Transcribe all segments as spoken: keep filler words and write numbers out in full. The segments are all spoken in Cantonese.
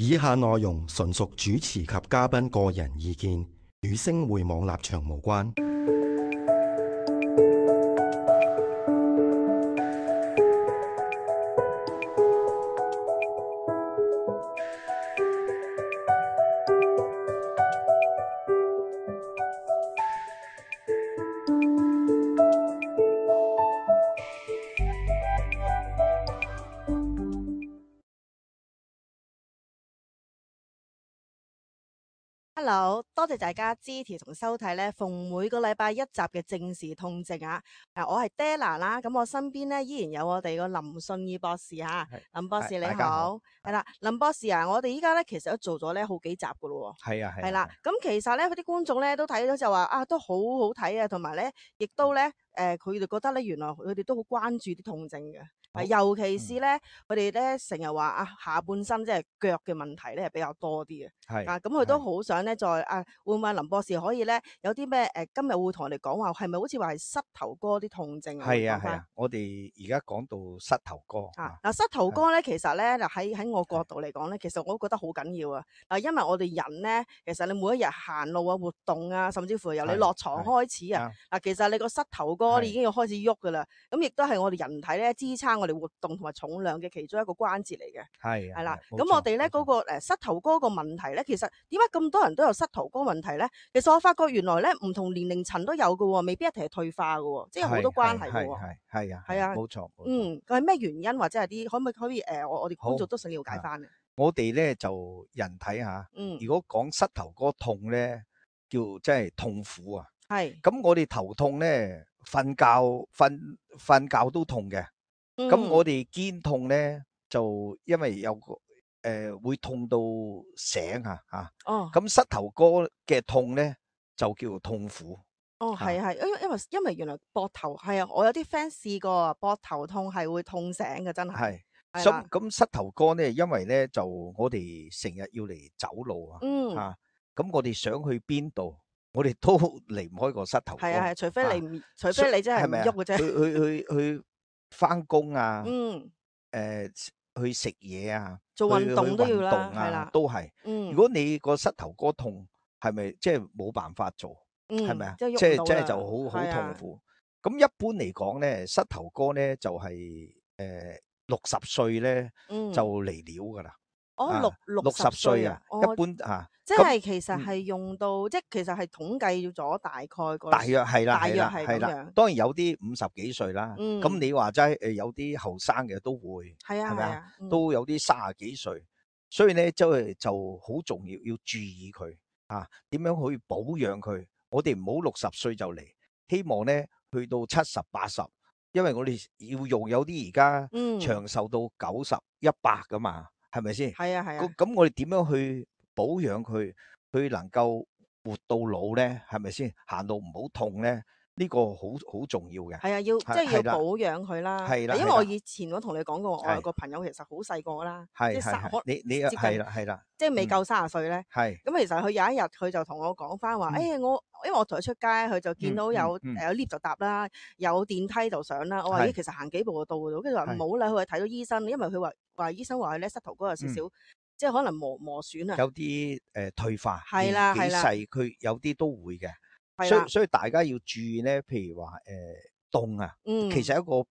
以下內容純屬主持及嘉賓個人意見，與星匯網立場無關。Hello，多謝大家支持同收睇咧，逢每個禮拜一集嘅正視痛症啊！誒，我係 Della 啦，咁我身邊咧依然有我哋個林信義博士嚇，林博士你好，係啦，林博士啊，我哋依家咧其實都做咗咧好幾集噶咯喎，係啊係，係啦，咁其實咧佢啲觀眾咧都睇咗就話啊，都好好睇啊，同埋咧亦都咧誒，佢哋覺得咧原來佢哋都好關注啲痛症嘅。啊，尤其是咧，佢哋咧成日話啊，下半身即係腳嘅問題咧係比較多啲嘅。係啊，咁佢都好想咧，再啊，會唔會林博士可以咧有啲咩誒？今日會同我哋講話，係咪好似話係膝頭哥啲痛症啊？係啊係啊，我哋而家講到膝頭哥啊，嗱，膝頭哥咧，其實咧，嗱喺喺我角度嚟講咧，其實我都覺得好緊要啊。嗱，因為我哋人咧，其實你每一日行路啊、活動啊，甚至乎由你落床開始啊，嗱，其實你個膝頭哥已經要開始喐噶啦。咁亦都係我哋人體咧支撐我哋活動同埋重量嘅其中一個關節嚟嘅。係係啦，咁我哋咧嗰個誒膝頭哥個問題咧，其實點解咁多人都有膝頭哥問題咧？其實我發覺原來咧唔同年齡層都有嘅喎，未必一定係退化嘅喎，即係好多關係嘅喎。係係啊，係啊，冇錯。嗯，佢係咩原因或者係啲可唔可以可以誒？我我哋觀眾都想了解翻嘅。我哋咧就人體嚇，嗯，如果講膝頭哥痛咧，叫即係痛苦啊。係。咁我哋頭痛咧，瞓覺瞓瞓覺都痛嘅。咁我哋肩痛咧，就因為有個誒會痛到醒啊嚇。哦。咁膝頭哥嘅痛咧，就叫做痛苦。哦，係係，因為因為因為原來膊頭係啊，我有啲 friend 試過啊，膊頭痛係會痛醒嘅，真係。係。係啦。咁咁膝頭哥咧，因為咧就我哋成日要嚟走路啊，嗯。嚇，咁我哋想去邊度，我哋都離唔開個膝頭哥。係啊係，除非你唔，除非你真係唔喐嘅啫。去去去去翻工啊，嗯。誒去食嘢啊，做運動都要啦，係啦，都係。嗯。如果你個膝頭哥痛，係咪即係冇辦法做？係咪啊？即係即係就好好痛苦。咁一般嚟講咧，膝頭哥咧就係誒六十歲咧就嚟料噶啦。哦，六六十歲啊，一般嚇。即係其實係用到，即係其實係統計咗大概個。大約係啦，大約係咁樣。當然有啲五十幾歲啦。嗯。咁你話齋誒有啲後生嘅都會係啊，係咪啊？都有啲三十幾歲，所以咧即係就好重要，要注意佢啊，點樣去保養佢。我哋唔好六十歲就嚟，希望咧去到七十八十，因為我哋要用有啲而家長壽到九十一百噶嘛，係咪先？係啊係啊。咁我哋點樣去保養佢，佢能夠活到老咧？係咪先？行路唔好痛咧？呢個好好重要嘅。係啊，要即係要保養佢啦。係啦，因為我以前我同你講過，我有個朋友其實好細個啦，即係三，你你係啦係啦，即係未夠三十歲咧。係。咁其實佢有一日佢就同我講翻話，誒我因為我同佢出街，佢就見到有誒有 lift 就搭啦，有電梯就上啦。我話咦，其實行幾步就到嘅，跟住話唔好啦，佢話睇咗醫生，因為佢話話醫生話佢咧膝頭哥有少少，即係可能磨磨損啊。有啲誒退化，係啦係啦，細佢有啲都會嘅。所以所以大家要注意咧，譬如話誒凍啊，其實一個誒、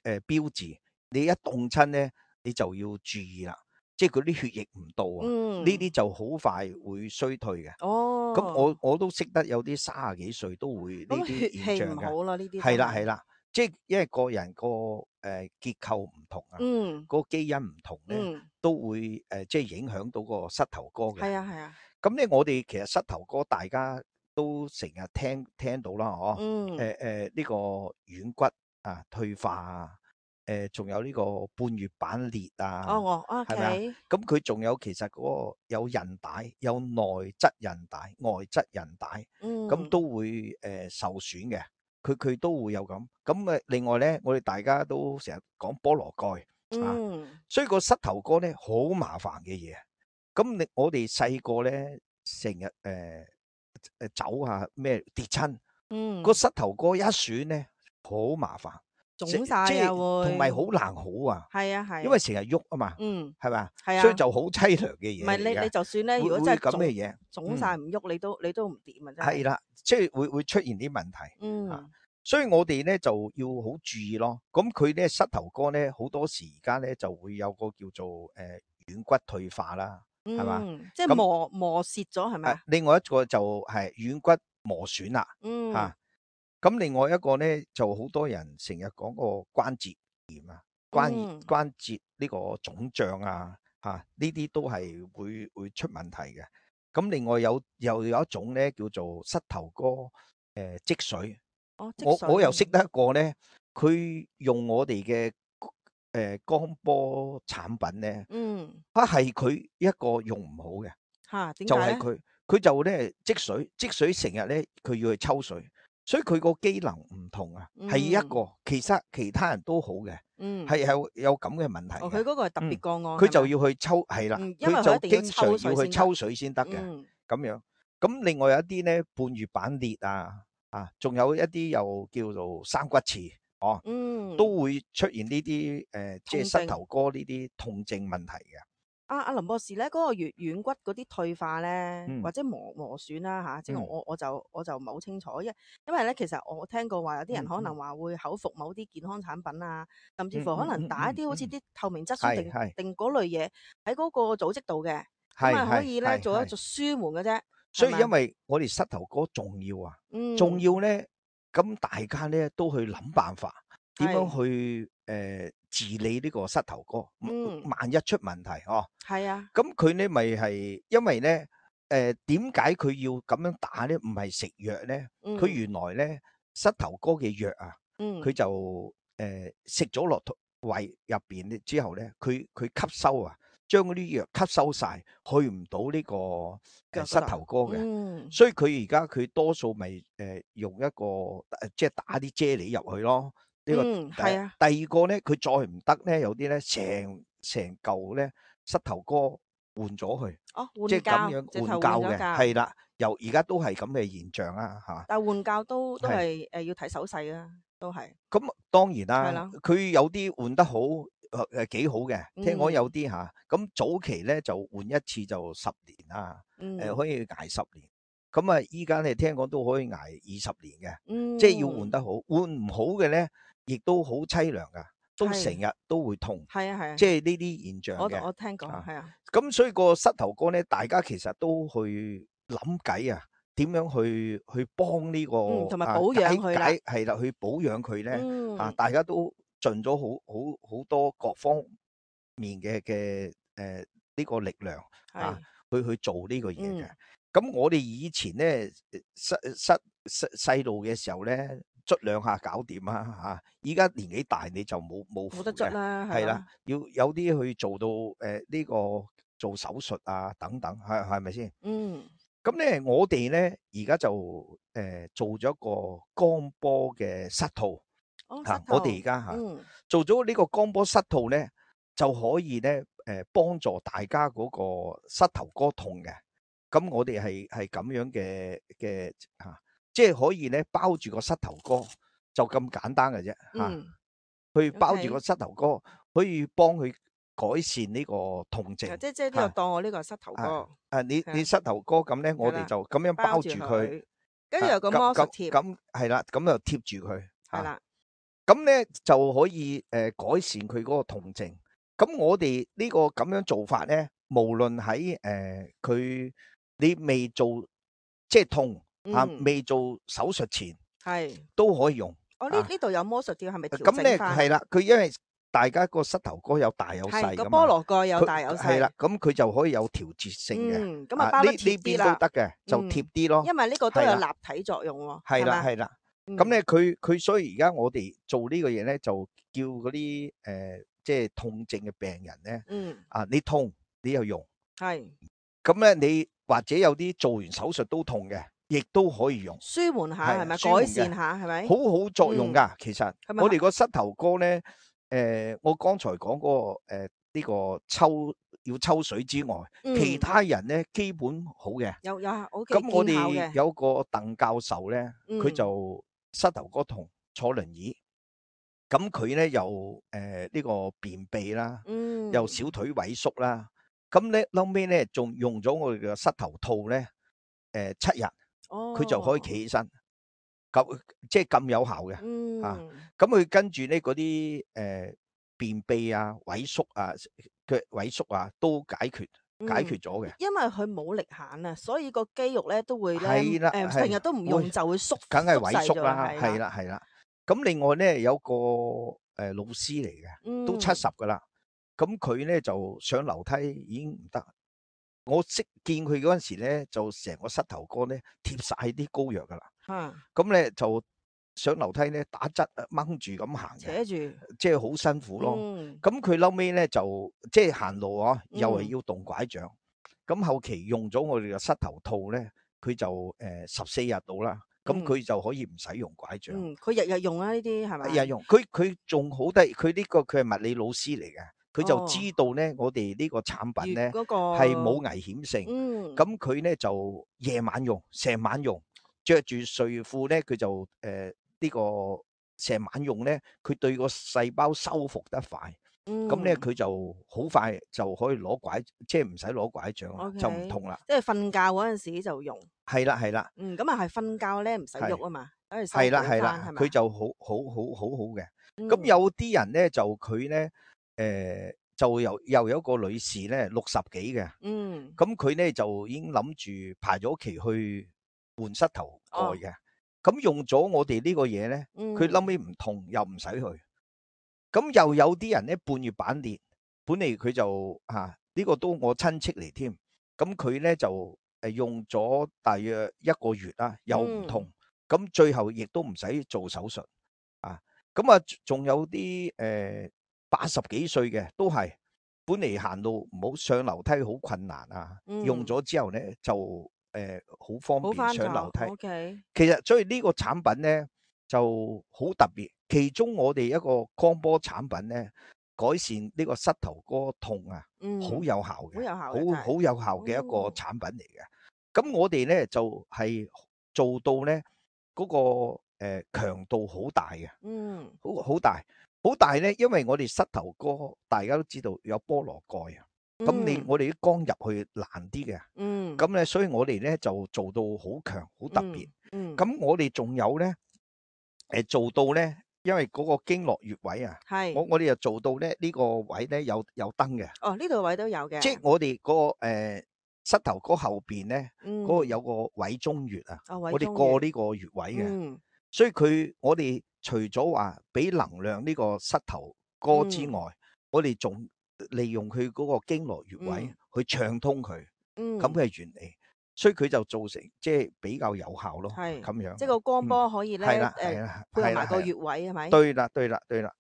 呃、標誌，你一凍親咧，你就要注意啦，即係嗰啲血液唔到啊，呢啲、嗯、就好快會衰退嘅。哦，咁我我都識得有啲三十幾歲都會呢啲現象嘅。好啦，呢啲係啦係啦，即係因為個人個誒、呃、結構唔同啊，嗯，個基因唔同咧，嗯、都會誒、呃、即係影響到個膝頭哥嘅。係啊係啊。咁咧，我哋其實膝頭哥大家都成日聽聽到啦，嗬、嗯，誒誒呢個軟骨啊退化啊，誒、呃、仲有呢個半月板裂啊，哦，哦，係咪啊？咁佢仲有其實嗰個有韌帶，有內側韌帶、外側韌帶，咁、嗯、都會誒、呃、受損嘅，佢佢都會有咁。咁誒另外咧，我哋大家都成日講菠蘿蓋、嗯、啊，所以個膝頭哥咧好麻煩嘅嘢。咁你我哋細個咧成日誒誒走下咩跌親，個、嗯、膝頭哥一損咧好麻煩。腫晒啊即係會，同埋好難好啊。係啊係，因為成日喐啊嘛，嗯，係咪？係啊，所以就好凄涼嘅嘢唔係你你就算咧，如果會真係會咁嘅嘢，腫晒唔喐，你都你都唔掂啊，真係。係啦，即係會會出現啲問題。嗯。啊所以我哋咧就要好注意咯。咁佢咧膝頭哥咧好多時而家咧就會有個叫做誒軟骨退化啦，係嘛？嗯，即係咁磨磨蝕咗係咪啊？誒另外一個就係軟骨磨損啦，嗯，嚇。咁另外一個咧就好多人成日講個關節炎啊，關嗯關節呢個腫脹啊，嚇呢啲都係會會出問題嘅。咁另外有又有一種咧叫做膝頭哥誒積水。哦，積我我又識水得一個咧，佢用我哋嘅誒光波產品咧，嗯，啊係佢一個用唔好嘅，嚇點就解咧？係佢佢就咧積水，積水成日咧佢要去抽水，所以佢個機能唔同啊，係一嗯個，其實其他人都好嘅，嗯，係有有咁嘅問題哦，嘅。佢嗰個係特別嗯個案，佢就係咪要去抽，係啦，嗯，因為佢就佢一定要經常抽水先得要去抽水先得嘅，嗯咁樣。咁另外有一啲咧半月板裂啊，啊，仲有一啲又叫做生骨刺，哦，嗯，都會出現呢啲誒，即係膝痛症頭哥呢啲痛症問題嘅。阿阿林博士咧，嗰個軟軟骨嗰啲退化咧，嗯或者磨磨損啦嚇，即係嗯我我就我就唔係好清楚，因因為咧其實我聽過話有啲人嗯可能話會口服某啲健康產品啊，甚至嗯乎可能嗯嗯打一啲好似嗯啲透明質酸定係係定嗰類嘢喺嗰個組織度嘅，咁係啊可係係以咧做一係做舒緩嘅啫，所以因係咪啊？為我哋膝頭哥重要啊，嗯，重要咧，咁大家咧都去諗辦法，點樣係去誒治理呢個膝頭哥，嗯萬一出問題哦。係啊，咁佢咧咪係因為咧誒點解佢要咁樣打咧？唔係食藥咧，佢嗯原來咧膝頭哥嘅藥啊，嗯佢就誒食咗落肚胃入邊咧之後咧，佢佢吸收啊，將嗰啲藥吸收晒，去唔到呢個誒膝腳嗰度頭哥嘅。嗯所以佢而家佢多數咪誒用一個誒即係打啲啫喱入去咯。呢個嗯第係啊，第二個咧，佢再唔得咧，有啲咧成成嚿咧膝頭哥換咗佢，哦換即係咁膠，樣直頭換膠嘅，換咗膠，係啦。由而家都係咁嘅現象啦，嚇。但係換膠都都係係誒要睇手勢啊，都係咁當然係啦啦，佢有啲換得好誒誒幾好嘅，聽講嗯有啲嚇。咁早期咧就換一次就十年啦，嗯誒可以捱十年。咁啊，依家你聽講都可以捱二十年嘅。嗯，即係要換得好，換唔好嘅咧，亦都好凄涼噶，都係成日都會痛，係啊係啊，即係呢啲現象我嘅。我聽過啊係啊，咁所以個膝頭哥咧，大家其實都去諗計啊，點樣去去幫呢個嗯同埋啊保養解佢啦解係啦，去保養佢咧嗯啊，大家都盡咗好好好多各方面嘅嘅誒呢個力量啊係，去去做呢個嘢嘅。嗯咁我哋以前咧，細細細細路嘅時候咧，捽兩下搞掂啊嚇！依家年紀大你就冇冇冇得符嘅，捽啦，係啦係啦，，要有啲去做到誒呢個做手術啊等等，係係咪先？嗯咁咧我哋咧而家就誒做咗一個光波嘅膝套嚇，哦膝我哋頭而家嚇嗯做咗呢個光波膝套咧，就可以咧誒幫助大家嗰個膝頭哥痛嘅。咁我哋係係咁樣嘅嘅嚇，即係可以咧包住個膝頭哥，就咁簡單嘅啫嚇。嗯，去包住 OK 個膝頭哥，可以幫佢改善呢個痛症。即即呢個嚇當我呢個膝頭哥啊啊！你係啊你膝頭哥咁咧，我係啦哋就咁樣包住佢，跟住有個啊咁咁魔術貼，咁係啦，咁就貼住佢。啊係啦，咁咧就可以誒改善佢嗰個痛症。咁我哋呢個咁樣做法咧，無論喺誒佢你未做即係痛啊，嗯未做手術前係，都可以用。我呢啊呢度有魔術貼係咪調咁咧整翻？係啦，佢因為大家個膝頭哥有大有細係個噶嘛，菠蘿蓋有大有細，係啦，咁佢就可以有調節性嘅。嗯，咁啊包得呢貼啲啦呢邊都，得嘅，就嗯貼啲咯。因為呢個都有係立體作用喎，係啦，咪係啦。嗯咁咧，佢佢所以而家我哋做呢個嘢咧，就叫嗰啲誒，即係痛症嘅病人咧，嗯啊，你痛你又用，係咁咧你或者有啲做完手術都痛嘅，亦都可以用，舒緩下係係咪？舒緩嘅改善下係咪？好好作用㗎。其實係咪我哋個膝頭哥咧，誒，我剛才講嗰個誒呢個抽要抽水之外，嗯其他人咧基本好嘅。有有好幾咁我哋見效嘅，有個鄧教授咧，佢嗯就膝頭哥痛，坐輪椅，咁佢咧又誒呢、呃這個便秘啦，嗯，又小腿萎縮啦。咁咧後尾咧仲用咗我哋嘅膝頭套咧，誒、呃、七日，佢就可以企起身，咁即係咁有效嘅。嗯，啊，咁佢跟住咧嗰啲誒便秘啊、萎縮啊、腳萎縮啊都解決解決咗嘅。因為佢冇力限啊，所以個肌肉咧都會咧係啦，誒係成日都唔用會就會縮梗係縮細咗萎縮啦，係係啦係啦。咁另外咧有個誒、呃、老師嚟嘅，都七十噶啦。咁佢咧就上樓梯已經唔得。我識見佢嗰陣時咧，就成個膝頭哥咧貼晒啲膏藥噶啦。嚇，咁咧就上樓梯咧打側掹住咁行嘅，扯住，即係好辛苦咯。嗯，咁佢後尾咧就即係行路啊，又係嗯要動拐杖。咁後期用咗我哋嘅膝頭套咧，佢就誒十四日到啦。咁佢就可以唔使用拐杖。嗯，佢日日用啊呢啲係咪？日日用，佢佢仲好得意，佢呢個佢係物理老師嚟嘅，佢就哦知道咧我哋呢個產品咧嗰個係冇危險性。嗯，咁佢咧就夜晚用，成晚用，着住睡褲咧，佢就誒呢個成晚用咧，佢對個細胞修復得快。咁咧佢就好快就可以攞拐，即係唔使攞拐杖啦， OK，就唔痛啦。即係瞓覺嗰陣時就用。係啦係啦，嗯，咁啊係瞓覺咧唔使喐啊嘛，等佢修係啦補係啦，返係咪？佢就好好好好好嘅。嗯咁有啲人咧就佢咧誒就又又有一個女士咧六十幾嘅，嗯，咁佢咧就已經諗住排咗期去換膝頭蓋嘅。哦咁用咗我哋呢個嘢咧，佢嗯後尾唔痛又唔使去。咁又有啲人咧半月板裂，本嚟佢就嚇呢個都我親戚嚟添。咁佢咧就誒用咗大約一個月啦，又唔痛。咁最後亦都唔使做手術啊。咁啊，仲有啲誒八十幾歲嘅都係本嚟行路唔好上樓梯好困難啊，用咗之後咧就誒好方便上樓梯。OK，其實所以呢個產品咧就好特別，其中我哋一個光波產品咧改善呢個膝頭哥痛啊，好有效嘅，好好好有效嘅一個產品嚟嘅。咁我哋咧就係做到咧嗰個誒強度好大嘅，嗯，好好大好大咧，因為我哋膝頭哥大家都知道有菠蘿蓋啊，咁你我哋啲光入去難啲嘅，嗯，咁咧所以我哋咧就做到好強好特別。嗯，咁我哋仲有咧誒做到咧，因為嗰個經絡穴位啊，係，我我哋又做到咧呢個位咧有有燈嘅，哦呢度位都有嘅，即係我哋嗰個誒膝頭哥後邊咧嗰個嗯，有個委中穴啊，哦我哋過呢個穴位嘅，嗯所以佢我哋除咗話俾能量呢個膝頭哥之外，我哋仲利用佢嗰個經絡穴位去暢通佢，嗯，咁嘅原理，所以佢就造成即係比較有效咯，係咁樣。即係個光波可以咧係啦係誒啦，配合埋個係啦穴位係咪？對啦對啦對啦。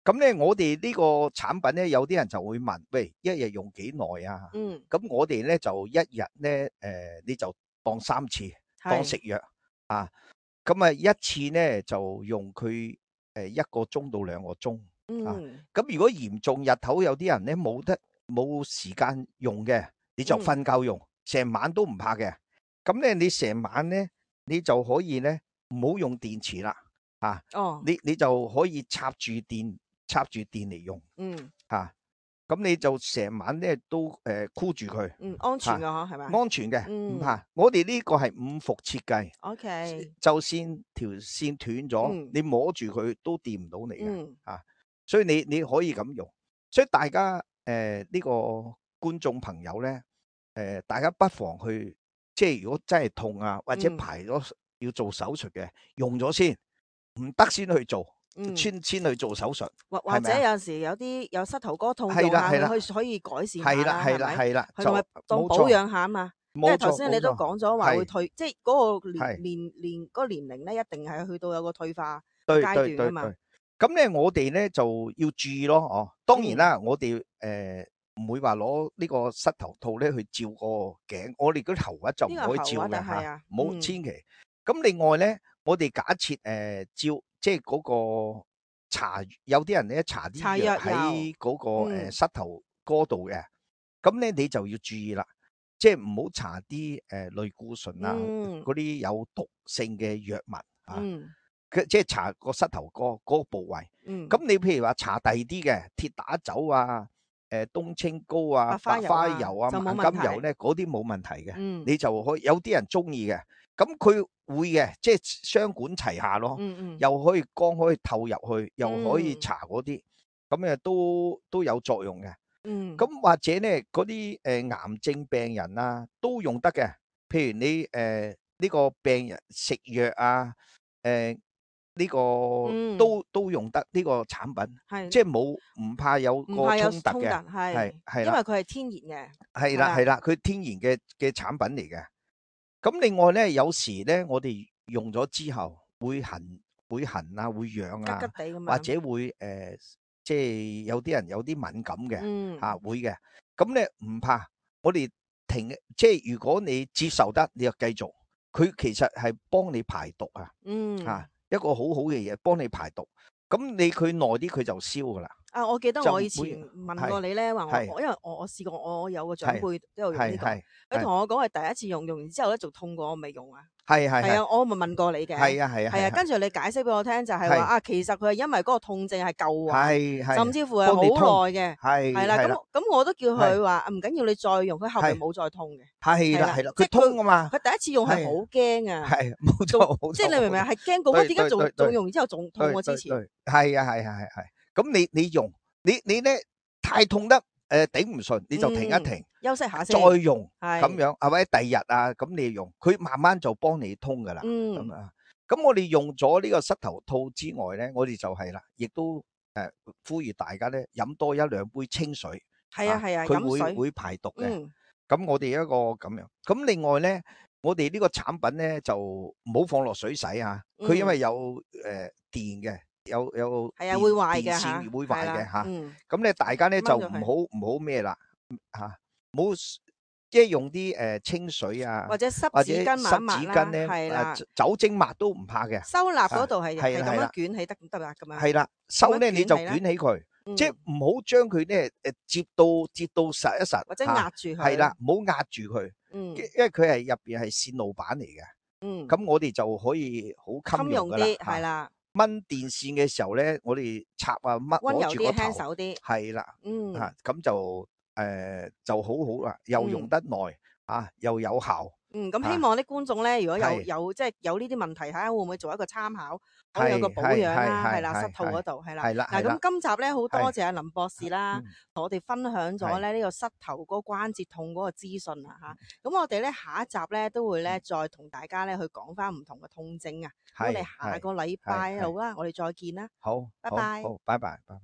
咁咧，我哋呢個產品咧，有啲人就會問：喂，一日用幾耐啊？嗯，咁我哋咧就一日咧，誒，你就當三次，當食藥啊。咁啊，一次咧就用佢誒一個鐘到兩個鐘啊。咁如果嚴重日頭有啲人咧冇得冇時間用嘅，你就瞓覺用，成晚都唔怕嘅。咁咧，你成晚咧，你就可以咧唔好用電池啦，啊，哦，你你就可以插住電。插住電嚟用，嗯，吓，咁你就成晚咧都誒箍住佢，嗯，安全噶嗬，係咪？安全嘅，唔怕。我哋呢個係五伏設計 ，OK，就算條線斷咗，你摸住佢都掂唔到你嘅，吓，所以你你可以咁用。所以大家誒呢個觀眾朋友咧，誒大家不妨去，即係如果真係痛啊，或者排咗要做手術嘅，用咗先，唔得先去做。先先去做手術，或或者有時有啲有膝頭哥痛用下，可以可以改善下啦，係啦係啦，同埋當保養下啊嘛。因為頭先你都講咗話會退，即係嗰個年年年嗰個年齡咧，一定係去到有個退化階段啊嘛。咁咧，我哋咧就要注意咯，哦，當然啦，我哋誒唔會話攞呢個膝頭套咧去照個頸，我哋嗰啲喉核就唔可以照嘅吓，唔好千祈。咁另外咧，我哋假設誒照。即係嗰個搽，有啲人咧搽啲藥喺嗰個誒膝頭哥度嘅，咁咧你就要注意啦，即係唔好搽啲誒類固醇啊，嗰啲有毒性嘅藥物啊。佢即係搽個膝頭哥嗰個部位。嗯。咁你譬如話搽第二啲嘅鐵打酒啊、誒冬青膏啊、白花油啊、萬金油咧，嗰啲冇問題嘅。嗯。你就可以有啲人中意嘅，咁佢會嘅，即係雙管齊下咯。嗯嗯。又可以光可以透入去，又可以搽嗰啲，咁誒都都有作用嘅。嗯。咁或者咧嗰啲誒癌症病人啊都用得嘅。譬如你誒呢個病人食藥啊，誒呢個都都用得呢個產品，即係冇唔怕有個衝突嘅，係係啦，因為佢係天然嘅，係啦係啦，佢天然嘅嘅產品嚟嘅。咁另外咧，有時咧我哋用咗之後會痕會痕啊，會癢啊，吉吉地咁樣，或者會誒即係有啲人有啲敏感嘅，嗯嚇會嘅。咁咧唔怕，我哋停，即係如果你接受得，你就繼續。佢其實係幫你排毒啊，嗯嚇一個好好嘅嘢，幫你排毒。咁你佢耐啲佢就消噶啦。啊，我記得我以前問過你咧，話我我因為我我試過，我有個長輩都有用呢個，佢同我講係第一次用，用完之後咧仲痛過我未用啊。係係係啊，我咪問過你嘅。係啊係啊係啊，跟住你解釋俾我聽就係話啊，其實佢係因為嗰個痛症係舊患，甚至乎係好耐嘅。係係啦，咁咁我都叫佢話唔緊要，你再用，佢後面冇再痛嘅。係啦係啦，佢通啊嘛。佢第一次用係好驚啊。係冇錯冇錯。即係你明唔明係驚嗰個點解仲仲用完之後仲痛過之前？係啊係係係係。咁你你用你你咧太痛得誒頂唔順，你就停一停，休息下先，再用咁樣，係或者第二日啊，咁你用，佢慢慢就幫你通噶啦。咁啊，咁我哋用咗呢個膝頭套之外咧，我哋就係啦，亦都誒呼籲大家咧飲多一兩杯清水。係啊係啊，佢會會排毒嘅。咁我哋一個咁樣，咁另外咧，我哋呢個產品咧就唔好放落水洗啊，佢因為有誒電嘅。有有係啊，會壞嘅吓，電線會壞嘅吓。咁咧，大家咧就唔好唔好咩啦吓，唔好即係用啲誒清水啊，或者濕紙巾抹抹啦，係啦，酒精抹都唔怕嘅。收納嗰度係係咁樣捲起得唔得啦？咁樣係啦，收咧你就捲起佢，即係唔好將佢咧誒接到接到實一實，或者壓住佢。係啦，唔好壓住佢，因為佢係入邊係線路板嚟嘅。嗯，咁我哋就可以好襟用噶啦，係啦。掹電線嘅時候咧，我哋插啊掹攞住個頭，輕手啲，係啦，嗯，吓咁就誒就好好啦，又用得耐啊，又有效。嗯，咁希望啲觀眾咧，如果有有即係有呢啲問題，睇下會唔會做一個參考，可以有個保養啦，係啦，膝套嗰度係啦。嗱，咁今集咧好多謝阿林博士啦，同我哋分享咗咧呢個膝頭嗰個關節痛嗰個資訊啊吓。咁我哋咧下一集咧都會咧再同大家咧去講翻唔同嘅痛症啊。我哋下個禮拜好啦，我哋再見啦。好，拜拜。好，拜拜，拜拜。